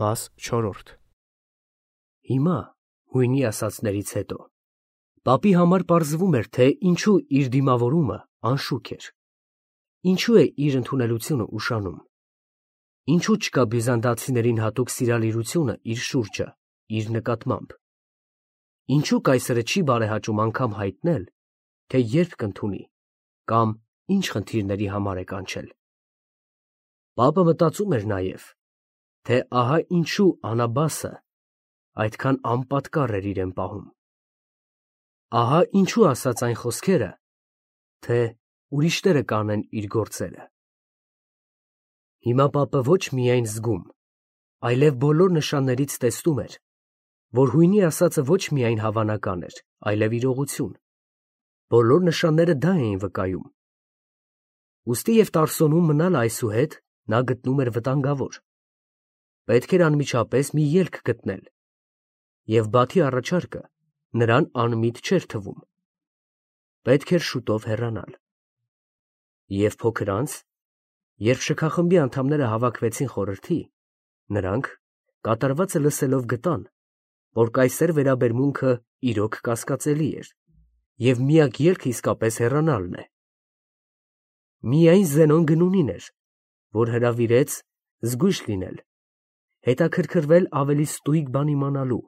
Մաս 4 Հիմա, հույնի ասածներից հետո, պապի համար պարզվում էր, թե ինչու իր դիմավորումը անշուք էր, ինչու է իր ընդունելությունը ուշանում, ինչու չկա բյուզանդացիներին հատուկ սիրալիրությունը իր շուրջը, իր նկատմամբ, ինչու կայսրը չի բարեհաճում անգամ հայտնել, թե երբ կընդունի կամ ինչ խնդիրների համար է կանչել։ Պապը մտածում էր նաև, թե ահա ինչու Անաբասը այդքան անպատկառ էր իրեն պահում։ Ահա ինչու ասաց այն խոսքերը, թե ուրիշները կանեն իր գործերը։ Հիմա պապը ոչ միայն զգում, այլև բոլոր նշաններից տեսնում էր, որ հույնի ասածը ոչ միայն հավանական էր, այլև իրողություն։ Բոլոր նշանները դա էին վկայում։ Ուստի և Տարսոնում մնալ այսուհետ նա գտնում էր վտանգավոր։ Պետք էր անմիջապես մի ելք գտնել, և Բաթի առաջարկը նրան անմիտ չէր թվում։ Պետք էր շուտով հեռանալ։ Եվ փոքր անց, երբ շքախմբի անդամները հավաքվեցին խորհրդի, նրանք, կատարվածը լսելով, գտան, որ կայսեր վերաբերմունքը իրոք կասկածելի էր, և միակ ելքը իսկապես հեռանալն է։ Միայն Զենոն Գնունին էր, որ հրավիրեց զգույշ լինել, հետաքրքրվել ավելի ստույգ բան իմանալու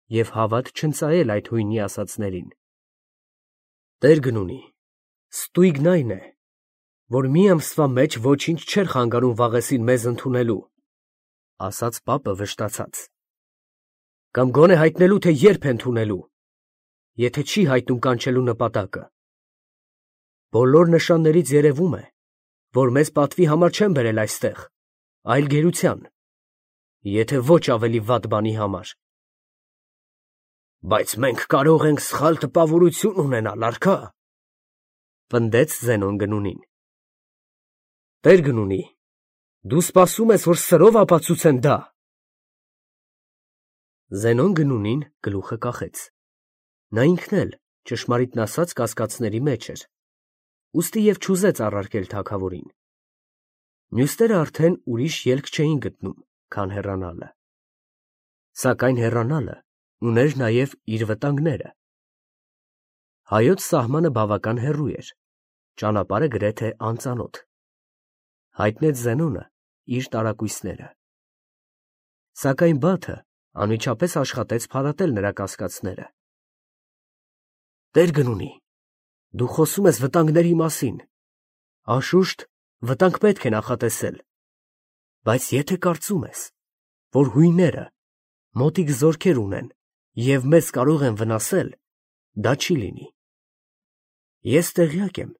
և հավատ չընծայել այդ հույնի ասածներին։ Տեր Գնունի, ստույգն այն է, որ մի ամսվա մեջ ոչինչ չէր խանգարում Վաղեսին մեզ ընդունելու, ասաց պապը վշտացած, կամ գոնե հայտնելու, թե երբ է ընդունելու, եթե չի հայտնում կանչելու նպատակը։ Բոլոր նշաններից երևում է, որ մեզ պատվի համար չեն բերել այստեղ, այլ գերության, եթե ոչ ավելի վատ բանի համար։ Բայց մենք կարող ենք սխալ տպավորություն ունենալ, արքա, պնդեց Զենոն Գնունին։ Տեր Գնունի, դու սպասում ես, որ սրով ապացուցեն դա։ Զենոն Գնունին գլուխը կախեց։ Նա ինքն էլ, ճշմարիտն ասած, կասկածների մեջ էր, ուստի և չուզեց առարկել թագավորին։ Մյուսները արդեն ուրիշ ելք չէին գտնում, քան հեռանալը։ Սակայն հեռանալը ուներ նաև իր վտանգները։ Հայոց սահմանը բավական հեռու էր, ճանապարհը գրեթե անծանոթ։ Հայտնեց Զենոնը իր տարակույսները։ Սակայն Բաթը անմիջապես աշխատեց փարատել նրա կասկածները։ Տեր Գնունի, դու խոսում ես վտանգների մասին, անշուշտ, վտանգ պետք է նախատեսել, բայց եթե կարծում ես, որ հույները մոտիկ զորքեր ունեն և մեզ կարող են վնասել, դա չի լինի։ Ես տեղյակ եմ,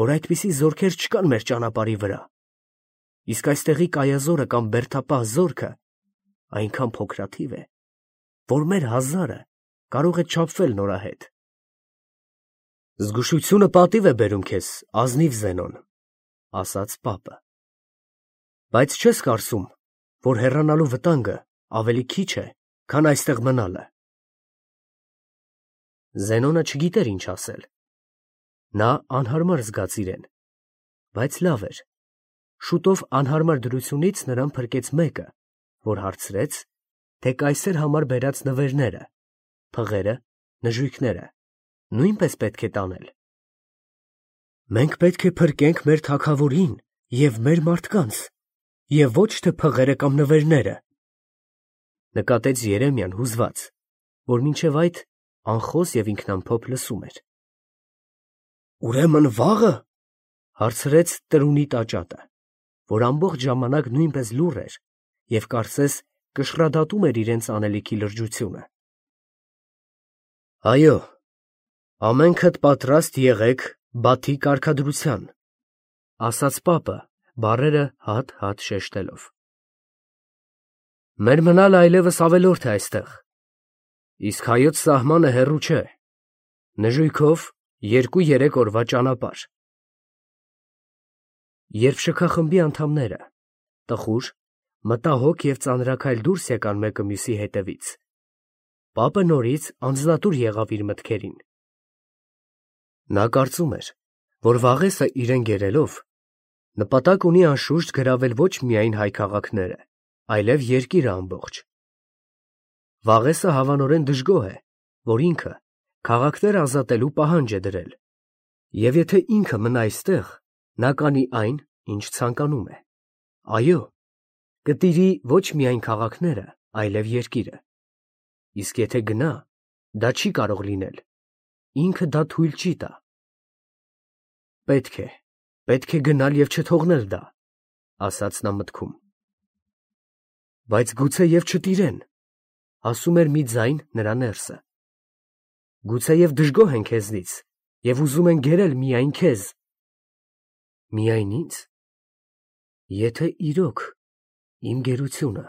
որ այդպիսի զորքեր չկան մեր ճանապարհի վրա, իսկ այստեղի կայազորը կամ բերդապահ զորքը այնքան փոքրաթիվ է, որ մեր 1000-ը կարող է չափվել նորահետ։ Զգուշությունը պատիվ է բերում քեզ, ազնիվ Զենոն, ասաց պապը, բայց չես կարծում, որ հեռանալու վտանգը ավելի քիչ է, քան այստեղ մնալը։ Զենոնը չգիտեր ինչ ասել։ Նա անհարմար զգաց իրեն, բայց լավ էր։ Շուտով անհարմար դրությունից նրան փրկեց մեկը, որ հարցրեց, թե կայսեր համար բերած նվերները, փղերը, նժույգները նույնպես պետք է տանել։ Մենք պետք է փրկենք մեր թագավորին և մեր մարդկանց, և ոչ թե փղերը կամ նվերները, նկատեց Երեմիան հուզված, որ մինչև այդ անխոս և ինքնամփոփ լսում էր։ Ուրեմն վաղը, հարցրեց տրունի տաճատը, որ ամբողջ ժամանակ նույնպես լուռ էր և կարծես կշռադատում էր իրենց անելիքի լրջությունը։ Այո, ամենքդ պատրաստ եղեք Բաթի կարգադրության, ասաց պապը, բառերը հատ-հատ շեշտելով։ Մեր մնալը այլևս ավելորդ է այստեղ, իսկ հայոց սահմանը հեռու չէ, նժույգով 2-3 օրվա ճանապարհ։ Երբ շքախմբի անդամները, տխուր, մտահոգ և ծանրաքայլ դուրս եկան մեկը մյուսի հետևից, պապը նորից անձնատուր եղավ իր մտքերին։ Նա կարծում էր, որ Վաղեսը իրեն գերելով, նպատակ ունի անշուշտ գրավել ոչ միայն հայ քաղաքները, այլև երկիրը ամբողջ։ Վաղեսը հավանորեն դժգոհ է, որ ինքը քաղաքներ ազատելու պահանջ է դրել, և եթե ինքը մնա այստեղ, նա կանի այն, ինչ ցանկանում է։ Այո, կտիրի ոչ միայն քաղաքները, այլև երկիրը։ Իսկ եթե գնա, դա չի կարող լինել, ինքը դա թույլ չի տա։ Պետք է գնալ և չթողնել դա, ասաց նա մտքում։ Բայց գուցեև չտիրեն, ասում էր մի ձայն նրա ներսը։ Գուցեև դժգոհ են քեզնից և ուզում են գերել միայն քեզ։ Միայն ինձ։ Եթե իրոք իմ գերությունը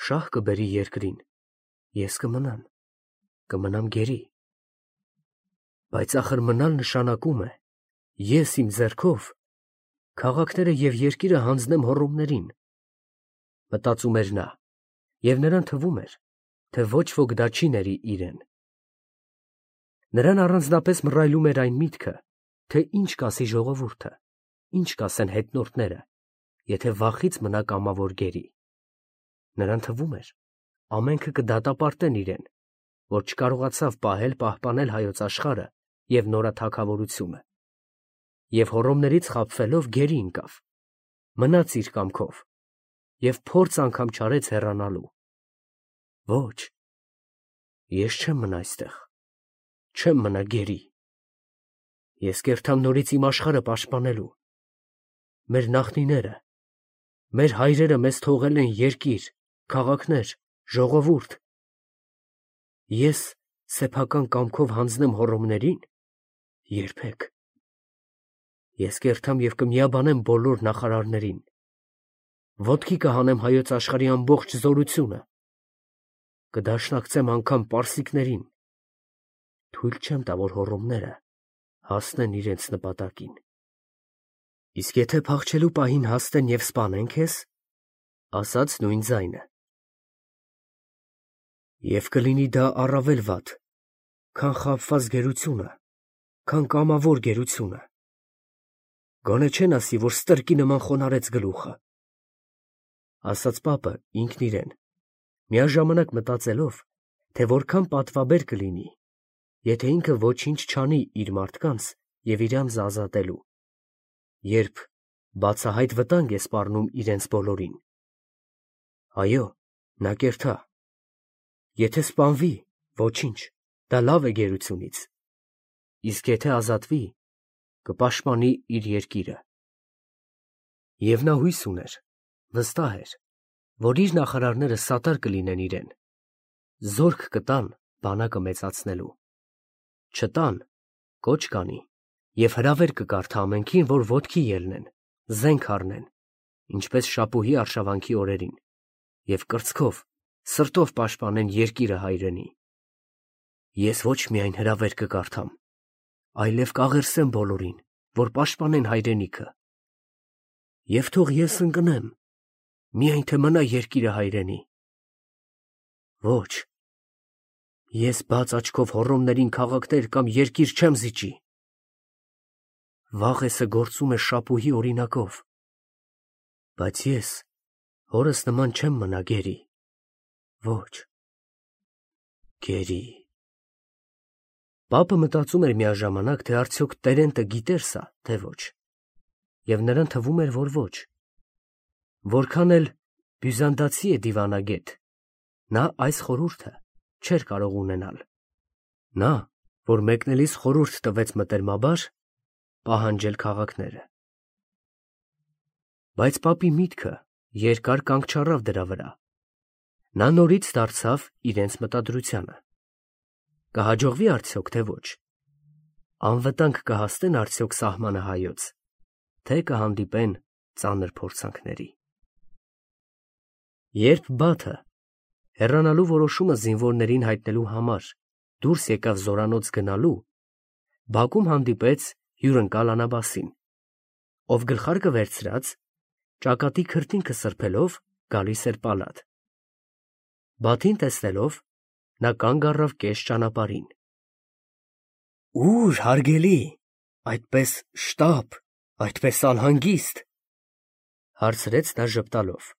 շահ կբերի երկրին, ես կմնամ գերի։ Բայց ախր մնալ նշանակում է ես իմ ձեռքով քաղաքները և երկիրը հանձնեմ հոռոմներին, մտածում էր նա, և նրան թվում էր, թե ոչ ոք դա չի ների իրեն։ Նրան առանձնապես մռայլում էր այն միտքը, թե ինչ կասի ժողովուրդը, ինչ կասեն հետնորդները, եթե վախից մնա կամավոր գերի։ Նրան թվում էր, ամենքը կդատապարտեն իրեն, որ չկարողացավ պահպանել հայոց աշխարհը և նորաթագավորությունը, և հոռոմներից խաբվելով գերի ընկավ, մնաց իր կամքով և փորձ անգամ չարեց հեռանալու։ Ոչ, ես չեմ մնա այստեղ, չեմ մնա գերի։ Ես կերթամ նորից իմ աշխարհը պաշտպանելու։ Մեր նախնիները, մեր հայրերը մեզ թողել են երկիր, քաղաքներ, ժողովուրդ։ Ես սեփական կամքով հանձնեմ հոռոմներին։ Երբեք։ Ես կերթամ և կմիաբանեմ բոլոր նախարարներին։ Ոտքի կհանեմ հայոց աշխարհի ամբողջ զորությունը։ Կդաշնակցեմ անգամ պարսիկներին։ Թույլ չեմ տա, որ հոռոմները հասնեն իրենց նպատակին։ Իսկ եթե փախչելու պահին հասնեն և սպանեն քեզ, ասաց նույն ձայնը, և կլինի դա առավել վատ, քան խաբված գերությունը, քան կամավոր գերությունը։ Գոնե չեն ասի, որ ստրկի նման խոնարհեց գլուխը, ասաց պապը ինքն իրեն, միաժամանակ մտածելով, թե որքան պատվաբեր կլինի, եթե ինքը ոչինչ չանի իր մարդկանց և իրանց ազատելու, երբ բացահայտ վտանգ է սպառնում իրենց բոլորին։ Այո, նա կերթա։ Եթե սպանվի, ոչինչ, դա լավ է գերությունից, իսկ եթե ազատվի, կպաշտպանի իր երկիրը։ Եվ նա հույս ուներ, վստահ էր, որ իր նախարարները սատար կլինեն իրեն, զորք կտան բանակը մեծացնելու։ Չտան, կոչ կանի և հրավեր կկարդա ամենքին, որ ոտքի ելնեն, զենք առնեն, ինչպես շապուհի արշավանքի օրերին, և կրծքով, սրտով պաշտպանեն երկիրը հայրենի։ Ես ոչ միայն հրավեր կկարդամ, այլև կաղերսեմ բոլորին, որ պաշտպանեն հայրենիքը։ Եվ թող ես ընկնեմ, միայն թե մնա երկիրը հայրենի։ Ոչ, ես բաց աչքով հոռոմներին քաղաքներ կամ երկիր չեմ զիջի։ Վաղեսը գործում է շապուհի օրինակով, բայց ես հորս նման չեմ մնա գերի։ Ոչ, գերի։ Պապը մտածում էր միաժամանակ, թե արդյոք Տերենտը գիտեր սա, թե ոչ, և նրան թվում էր, որ ոչ։ Որքան էլ բյուզանդացի է դիվանագետ, նա այս խորհուրդը չէր կարող ունենալ։ Նա, որ մեկնելիս խորհուրդ տվեց մտերմաբար պահանջել քաղաքները։ Բայց պապի միտքը երկար կանգ չառավ դրա վրա։ Նա նորից դարձավ իրենց մտադրությանը։ Կհաջողվի արդյոք, թե ոչ։ Անվտանգ կհասնեն արդյոք սահմանը հայոց, թե կհանդիպեն ծանր փորձանքների։ Երբ Բաթը, հեռանալու որոշումը զինվորներին հայտնելու համար, դուրս եկավ զորանոց գնալու, բակում հանդիպեց հյուրընկալ Անաբասին, ով գլխարկը վերցրած, ճակատի քրտինքը սրբելով գալիս էր պալատ։ Բաթին տեսնելով, նա կանգ առավ կես ճանապարհին։ Ո՞ւր, հարգելի, այդպես շտապ, այդպես անհանգիստ, հարցրեց նա ժպտալով։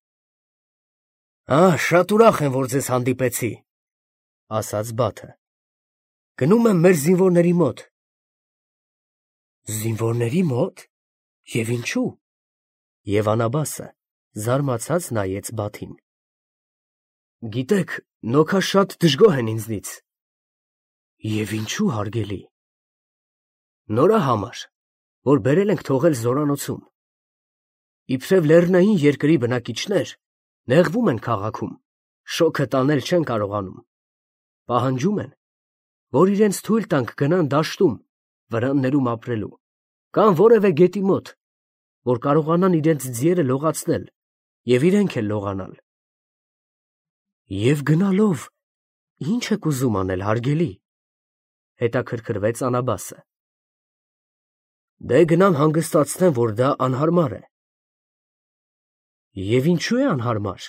Շատ ուրախ եմ, որ ձեզ հանդիպեցի, ասաց Բաթը։ Գնում եմ մեր զինվորների մոտ։ Զինվորների մոտ։ Եվ ինչու։ Եվ Անաբասը զարմացած նայեց Բաթին։ Գիտեք, նոքա շատ դժգոհ են ինձնից։ Եվ ինչու, հարգելի։ Նորա համար, որ բերել ենք թողել զորանոցում։ Իբրև լեռնային երկրի բնակիչներ նեղվում են քաղաքում, շոքը տանել չեն կարողանում։ Պահանջում են, որ իրենց թույլ տանք գնան դաշտում, վրաններում ապրելու, կամ որևէ գետի մոտ, որ կարողանան իրենց ձիերը լողացնել և իրենք էլ լողանալ։ Եվ գնալով, ի՞նչ եք ուզում անել, հարգելի, հետաքրքրվեց Անաբասը։ Դե գնամ հանգստացնեմ, որ դա անհարմար է։ Եվ ինչու է անհարմար։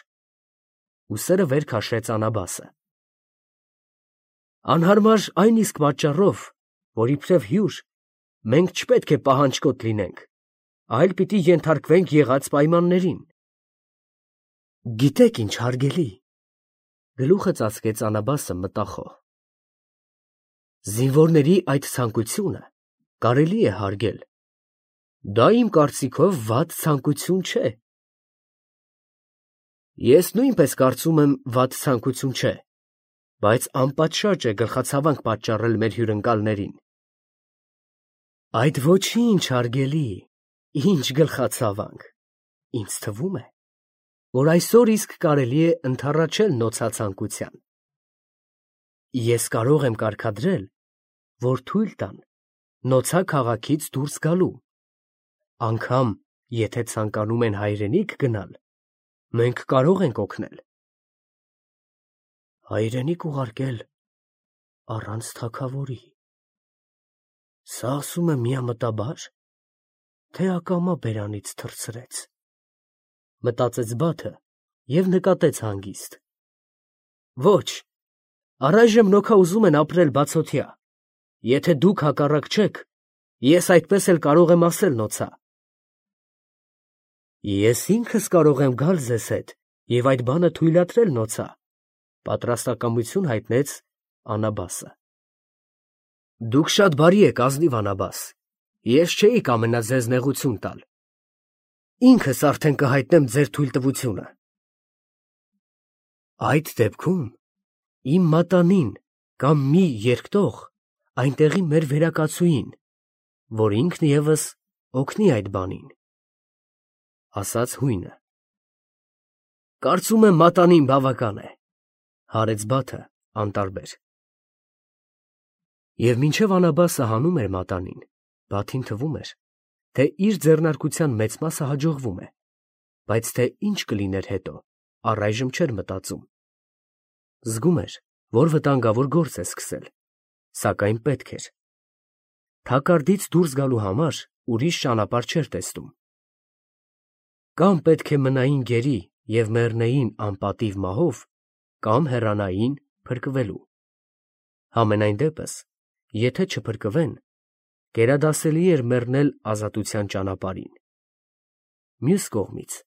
Ուսերը վեր քաշեց Անաբասը։ Անհարմար այն իսկ պատճառով, որ իբրև հյուր մենք չպետք է պահանջկոտ լինենք, այլ պիտի ենթարկվենք եղած պայմաններին։ Գիտեք ինչ, հարգելի, գլուխը ծածկեց Անաբասը մտախոհ։ Զինվորների այդ ցանկությունը կարելի է հարգել։ Դա իմ կարծիքով վատ ցանկություն չէ։ Ես նույնպես կարծում եմ վատ ցանկություն չէ, բայց անպատշաճ է գլխացավանք պատճառել մեր հյուրընկալներին։ Այդ ոչինչ, հարգելի, ինչ գլխացավանք։ Ինձ թվում է, որ այսօր իսկ կարելի է ընդառաջել նոցացանկության։ Ես կարող եմ կարգադրել, որ թույլ տան նոցա քաղաքից դուրս գալու, անգամ եթե ցանկանում են հայրենիք գնալ, մենք կարող ենք օգնել։ Հայրենիք ուղարկել առանց թագավորի։ Սա ասում է միամտաբա՞ր, թե ակամա բերանից թռցրեց։ Մտածեց Բաթը և նկատեց հանգիստ։ Ոչ, առայժմ նոքա ուզում են ապրել բացօթյա։ Եթե դուք հակառակ չեք, ես այդպես էլ կարող եմ ասել նոցա։ Ես ինքս կարող եմ գալ ձեզ հետ և այդ բանը թույլատրել նոցա, պատրաստակամություն հայտնեց Անաբասը։ Դուք շատ բարի եք, ազնիվ Անաբաս, ես չէի կամենա ձեզ նեղություն տալ։ Ինքս արդեն կհայտնեմ ձեր թույլտվությունը։ Այդ դեպքում իմ մատանին կամ մի երկտող այնտեղի մեր վերակացուին, որ ինքն ևս օգնի այդ բանին, ասաց հույնը։ Կարծում եմ մատանին բավական է, հարեց Բաթը անտարբեր։ Եվ մինչև Անաբասը հանում էր մատանին, Բաթին թվում էր, թե իր ձեռնարկության մեծ մասը հաջողվում է, բայց թե ինչ կլիներ հետո, առայժմ չէր մտածում։ Զգում էր, որ վտանգավոր գործ է սկսել, սակայն պետք էր։ Թակարդից դուրս գալու համար ուրիշ ճանապարհ չէր տեսնում։ Կամ պետք է մնային գերի և մեռնեին անպատիվ մահով, կամ հեռանային փրկվելու։ Համենայն դեպս, եթե չփրկվեն, գերադասելի էր մեռնել ազատության ճանապարհին։ Մյուս կողմից,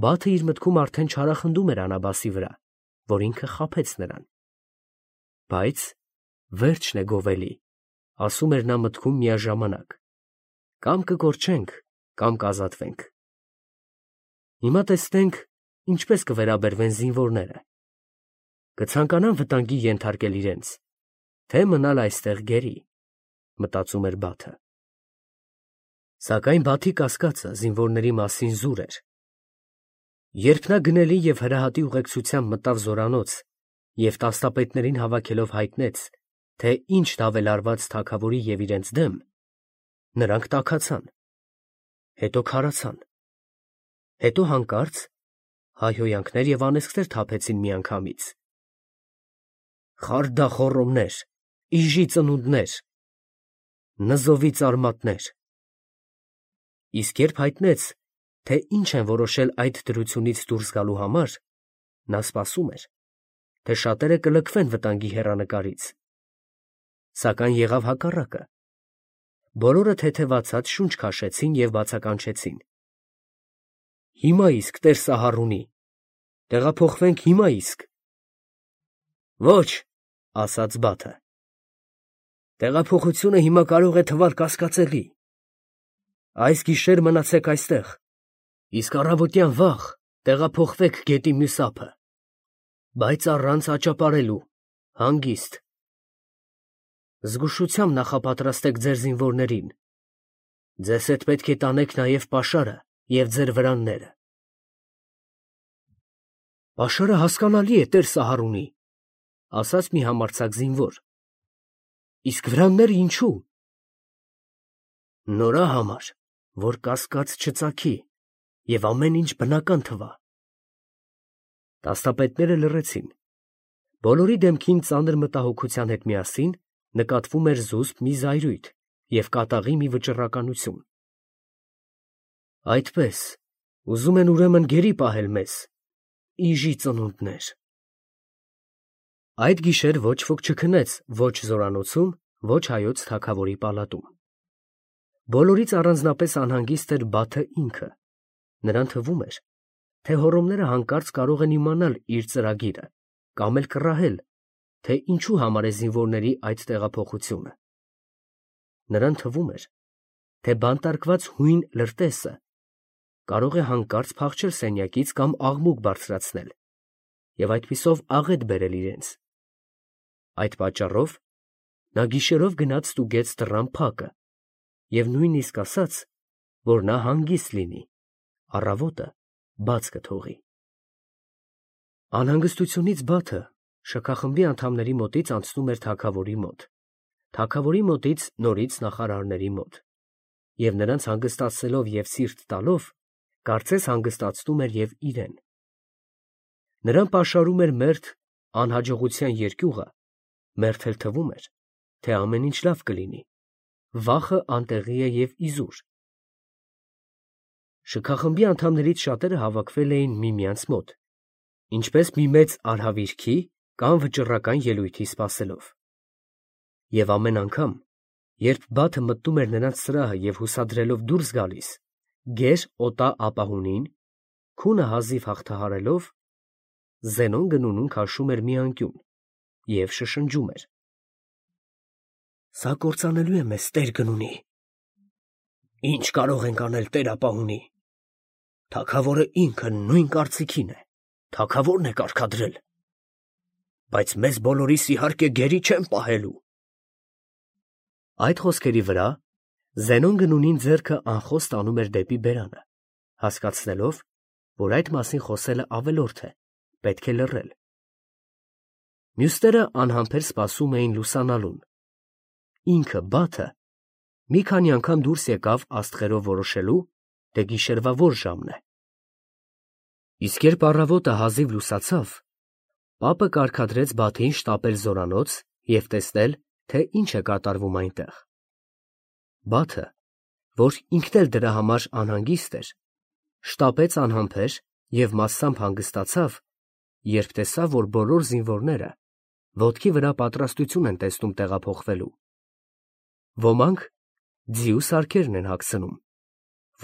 Բաթը իր մտքում արդեն չարախնդում էր Անաբասի վրա, որ ինքը խաբեց նրան։ Բայց վերջն է գովելի, ասում էր նա մտքում միաժամանակ, կամ կկորչենք, կամ կազատվենք։ Հիմա տեսնենք, ինչպես կվերաբերվեն զինվորները։ Կցանկանան վտանգի ենթարկել իրենց, թե մնալ այստեղ գերի, մտածում էր Բաթը։ Սակայն Բաթի կասկածը զինվորների մասին զուր էր։ Երբ նա գնելի և հրահատի ուղեկցությամբ մտավ զորանոց և տասնապետներին հավաքելով հայտնեց, թե ինչ ավելարված թագավորի և իրենց դեմ, նրանք տաքացան, հետո քարացան, հետո հանկարծ հայհոյանքներ և անեծքներ թափեցին միանգամից։ Խարդախոռոմներ, իժի ծնունդներ, նզովի ծարմատներ։ Իսկ երբ հայտնեց, թե ինչ են որոշել այդ դրությունից դուրս գալու համար, նա սպասում էր, թե շատերը կլքվեն վտանգի հեռանկարից։ Սակայն եղավ հակառակը։ Բոլորը թեթևացած շունչ քաշեցին և բացականչեցին. Հիմա իսկ Տեր Սահառունի, Տեղափոխվենք հիմա իսկ։ Ոչ, ասաց Բաթը։ Տեղափոխությունը հիմա կարող է թվալ կասկածելի։ Այս գիշեր մնացեք այստեղ, իսկ առավոտյան վաղ տեղափոխվեք գետի մյուս ափը, բայց առանց աճապարելու, հանգիստ։ Զգուշությամբ նախապատրաստեք ձեր զինվորներին։ Ձեզ հետ պետք է տանեք նաև պաշարը և ձեր վրանները։ Պաշարը հասկանալի է, տեր Սահարունի, ասաց մի համարձակ զինվոր։ Իսկ վրանները ինչու։ Նորա համար, որ կասկած չծագի և ամեն ինչ բնական թվա։ Տասնապետները լռեցին։ Բոլորի դեմքին ծանր մտահոգության հետ միասին նկատվում էր զուսպ մի զայրույթ և կատաղի մի վճռականություն։ Այդպես, ուզում են ուրեմն գերի պահել մեզ, իժի ծնունդներ։ Այդ գիշեր ոչ ոք չքնեց ոչ զորանոցում, ոչ հայոց թագավորի պալատում։ Բոլորից առանձնապես անհանգիստ էր Բաթը ինքը։ Նրան թվում էր, թե հոռոմները հանկարծ կարող են իմանալ իր ծրագիրը կամ էլ կռահել, թե ինչու համար է զինվորների այդ տեղափոխությունը։ Նրան թվում էր, թե բանտարկված հույն լրտեսը կարող է հանկարծ փախչել սենյակից կամ աղմուկ բարձրացնել և այդպիսով աղետ բերել իրենց։ Այդ պատճառով նա գիշերով գնաց ստուգեց դռան փակը և նույնիսկ ասաց, որ նա հանգիստ լինի, առավոտը բաց կթողի։ Անհանգստությունից Բաթը շքախմբի անդամների մոտից անցնում էր թագավորի մոտ, թագավորի մոտից նորից նախարարների մոտ, և նրանց հանգստացնելով և սիրտ տալով, կարծես հանգստացնում էր և իրեն։ Նրան պաշարում էր մերթ անհաջողության երկյուղը, մերթ էլ թվում էր, թե ամեն ինչ լավ կլինի, վախը անտեղի է և իզուր։ Շքախմբի անդամներից շատերը հավաքվել էին միմյանց մոտ, ինչպես մի մեծ արհավիրքի կամ վճռական ելույթի սպասելով։ Եվ ամեն անգամ, երբ Բաթը մտնում էր նրանց սրահը և հուսադրելով դուրս գալիս, գեր օտա ապահունին, քունը հազիվ հաղթահարելով, Զենոն գնունուն քաշում էր մի անկյուն և շշնջում էր. «Սա կործանելու է մեզ, տեր գնունի»։ «Ինչ կարող ենք անել, տեր ապահունի»։ «Թագավորը ինքը նույն կարծիքին է, թագավորն է կարգադրել»։ «Բայց մեզ բոլորիս իհարկե գերի չեն պահելու»։ Այդ խոսքերի վրա Զենոն գնունին ձեռքը անխոս տանում էր դեպի բերանը, հասկացնելով, որ այդ մասին խոսելը ավելորդ է, պետք է լռել։ Մյուսները անհամբեր սպասում էին լուսանալուն։ Ինքը Բաթը մի քանի անգամ դուրս եկավ աստղերով որոշելու, թե գիշերվա որ ժամն է։ Իսկ երբ առավոտը հազիվ լուսացավ, պապը կարգադրեց Բաթին շտապել զորանոց և տեսնել, թե ինչ է կատարվում այնտեղ։ Բաթը, որ ինքն էլ դրա համար անհանգիստ էր, շտապեց անհամբեր և մասամբ հանգստացավ, երբ տեսավ, որ բոլոր զինվորները ոտքի վրա պատրաստություն են տեսնում տեղափոխվելու։ Ոմանք ձիու սարքերն են հագցնում,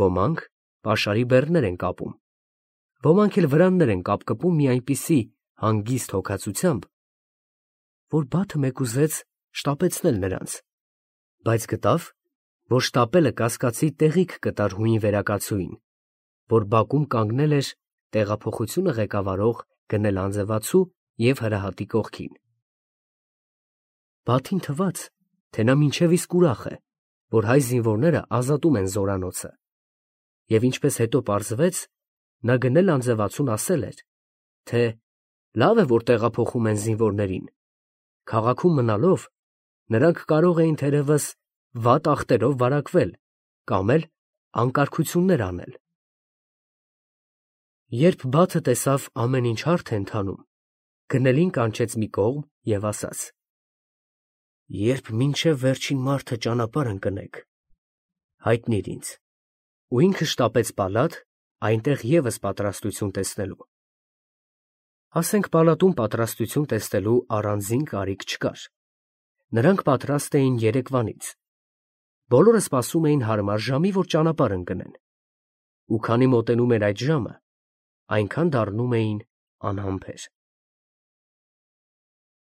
ոմանք պաշարի բեռներ են կապում, ոմանք էլ վրաններ են կապկպում մի այնպիսի հանգիստ հոգածությամբ, որ Բաթը մեկուզեց շտապեցնել նրանց, բայց գտավ, որ շտապելը կասկածի տեղիք կտար հույն վերակացուին, որ բակում կանգնել էր տեղափոխությունը ղեկավարող գնել անձևացու և հրահատի կողքին։ Բաթին թվաց, թե նա մինչև իսկ ուրախ է, որ հայ զինվորները ազատում են զորանոցը, և ինչպես հետո պարզվեց, նա գնել անձևացուն ասել էր, թե լավ է, որ տեղափոխում են զինվորներին, քաղաքում մնալով նրանք կարող էին թերևս վատ ախտերով վարակվել կամ էլ անկարգություններ անել։ Երբ Բաթը տեսավ ամեն ինչ հարթ է ընթանում, գնելին կանչեց մի կողմ և ասաց. «Երբ մինչև վերջին մարդը ճանապարհ ընկնեք, հայտնիր ինձ»։ Ու ինքը շտապեց պալատ, այնտեղ ևս պատրաստություն տեսնելու։ Ասենք պալատում պատրաստություն տեսնելու առանձին կարիք չկար։ Նրանք պատրաստ էին երեկվանից։ Բոլորը սպասում էին հարմար ժամի, որ ճանապարհ ընկնեն։ Ու քանի մոտենում էր այդ ժամը, այնքան դառնում էին անհամբեր։